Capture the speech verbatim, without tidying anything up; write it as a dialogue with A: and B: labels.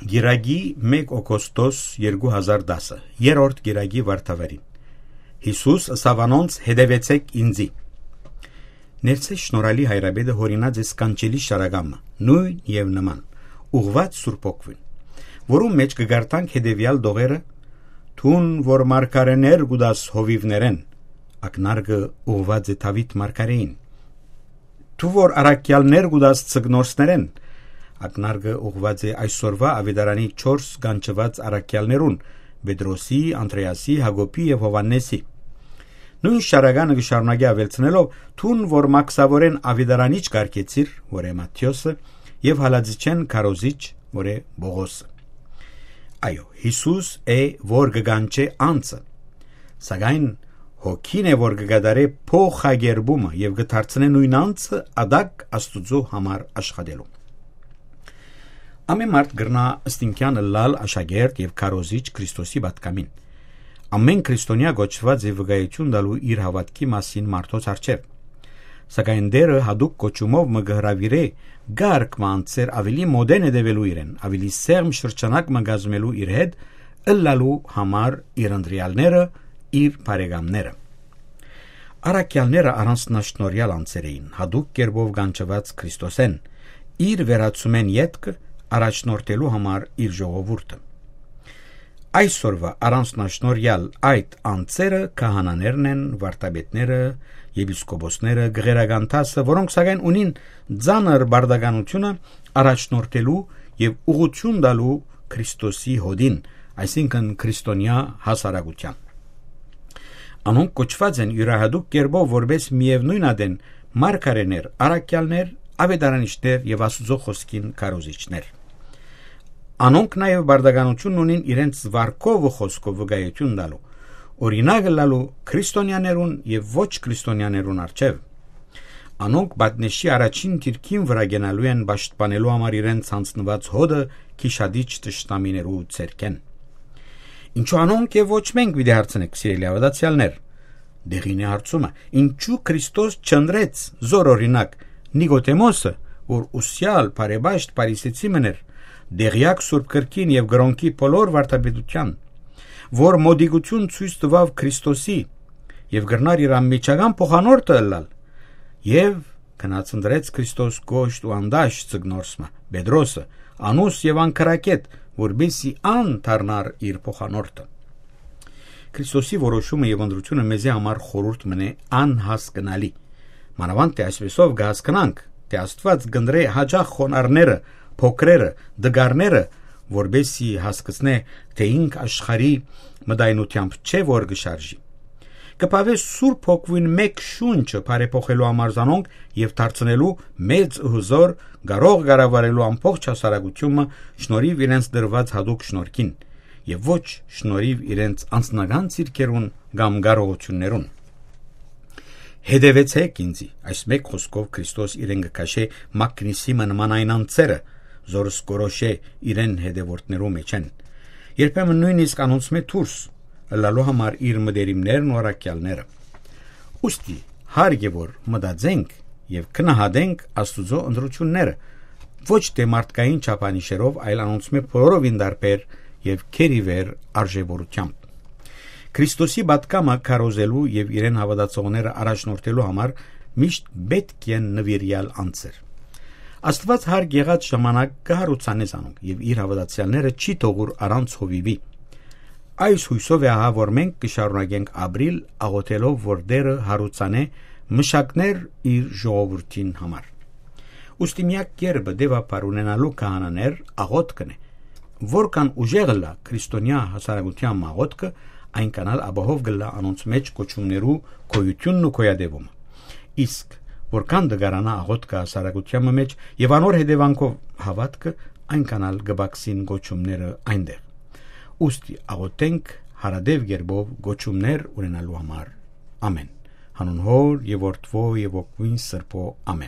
A: Գիրագի մեկ օգոստոս երկու հազար դասը երրորդ գիրագի վարդավարին Հիսուս ըսավանոնց հետևեցեք ինձի Ներցե շնորհալի հայրաբեդը հորինած է սկանչելի շարագամը նույն եւ նման ուղված Սուրբ Օգուն որում մեջ կգարտանք հետևյալ դողերը թուն որ մարգարեներ գուդաս հովիվներեն ակնարգը ուղված է Դավիթ մարգարեին Თუ որ արաքյալներ գուդաս ցգնորսներեն ակնարգը ուղված է այսօրվա ավետարանի չորս գանչված արաքյալներուն Պետրոսի, Անդրեասի, Հակոբի եւ Հովաննեսի Նույն շարագանը գշարունակի ավելցնելով թուն որ մաքսավորեն ավետարանիչ կարգեցիր որ է Մատթեոսը եւ հալածիչեն քարոզիչ որ է Բողոսը Այո Հիսուս է որ գանչե անցը սակայն Հոգին է որ կգադարե փոխագերբումը եւ կդարձնե նույն անձը ադակ Աստուծո համար աշխատելու Ամեն մարդ գրնա ըստինքյանը լալ աշակերտ եւ քարոզիչ Քրիստոսի պատկամին Ամեն քրիստոնյա գոչված է վկայություն տալու իր հավատքի մասին մարդոց առջև Սակայն դերը հadoop կոչումով մը գհրավիրե գարկ մանցեր ավելի մոդեն edevելու իրեն ավելի սերմ շրջանակ մգազմելու իր հետ ըլլալու համար իր անդրիալները իր բարեկամները Արաքյալները առանձնաշնորհյալ անձեր էին հadoop կերպով գանչված Քրիստոսեն իր վերացումեն յետքը առաջնորդելու համար իր ժողովուրդը Այսօրվա առանձնաշնորհյալ այդ անձերը քահանաներն են վարդապետները եպիսկոպոսները գեղերագանտասը որոնք սակայն ունին ծանր բարդականությունը առաջնորդելու եւ ուղղություն տալու Քրիստոսի հոդին այսինքն քրիստոնյա հասարակության Անոնք կոչված են յուրահատուկ կերպով որպես միևնույն ադեն մարգարեներ, արաքյալներ, ավետարանիչներ եւ Աստծո խոսքին քարոզիչներ Անոնք նաեւ բարդականություն ունին իրենց վարկով ու խոսքով վկայություն տալու օրինակ լալու քրիստոնյաներուն եւ ոչ քրիստոնյաներուն արչեւ Անոնք բատնեշի առաջին դիրքին վրա գնալու են պաշտպանելու համար իրենց ցանցնված հոդը քիշադիչ տշտամիներու ցերքեն Ինչու անոնք եւ ոչ մենք պիտի հարցնենք սիրելի ավադացյալներ Դեղին է հարցումը ինչու Քրիստոս չընտրեց զոր օրինակ Նիկոդեմոսը որ ուսյալ բարեբաշտ պարիսեցի մներ դեղյակ Սուրբ Գրքին եւ գրոնքի բոլոր վարդապետության որ մոդիկություն ցույց տվավ Քրիստոսի եւ գրնար իր ամիջական փոխանորդը ըլլալ եւ կնացնդրեց Քրիստոս գոշտ ու անդաշ ցգնորսմա Պետրոսը անուս եւ անկրակետ որբեսի ան դառնար իր փոխանորդը Քրիստոսի որոշումը եւ ընդրությունը մեզի համար խորհուրդ մնե անհասկանալի մանավանդ թե այսպեսով կհասկանանք թե Աստված գնդրե հաջող խոնարհները փոքրերը դգարները որբեսի հասկացնե թե ինք աշխարի մտայնությամբ չէ որ գշարժի կպավե Սուրբ Հոգին մեկ շունչը բարեփոխելու համար զանոնք եւ դարձնելու մեծ հզոր գարող գարավարելու ամբողջ հասարակությունը շնորհիվ իրենց դրված հadoop շնորհքին եւ ոչ շնորհիվ իրենց անձնական ցիրկերուն կամ գարողություններուն Հետևեցեք ինձի այս մեկ խոսքով Քրիստոս իրեն կքաշե մակնիսի նման այն անձերը զորս կորոշե իրեն հետևորդներու մեջ են երբեմն նույնիսկ անոնց մեջ դուրս լալու համար իր մդերիմներն ու արաքյալները ուստի հարգե որ մտածենք եւ քնահատենք Աստուծո ընդրությունները ոչ թե մարդկային չափանիշերով այլ անոնց մեջ բոլորովին դարբեր եւ քերիվեր արժեվորությամբ Քրիստոսի պատկամը քարոզելու եւ իրեն հավատացողները առաջնորդելու համար միշտ պետք է նվիրյալ անձեր Աստված հարկ եղած ժամանակ կհարուցանե զանոնք եւ իր հավատացյալները չի թողուր առանց հովիվի Այս հույսով է ահա որ մենք կշարունակենք ապրիլ աղոթելով որ Տերը հարուցանե մշակներ իր ժողովրդին համար Ուստի միակ կերպը դեպապար ունենալու քահանաներ աղոթքն է որքան ուժեղ լա քրիստոնյա հասարակության աղոթքը այնքան էլ ապահով գլա անոնց մեջ կոչումներու գոյությունն ու գոյադևումը իսկ որքան դգարանա աղոթքը հասարակության մեջ եւ անոր հետևանքով հավատքը այնքան էլ գբաքսին գոչումները այնտեղ Ուստի աղոթենք հարադև գերբով գոչումներ ունենալու համար ամեն հանուն հոր եւ որդվո եւ օգին սրբո ամեն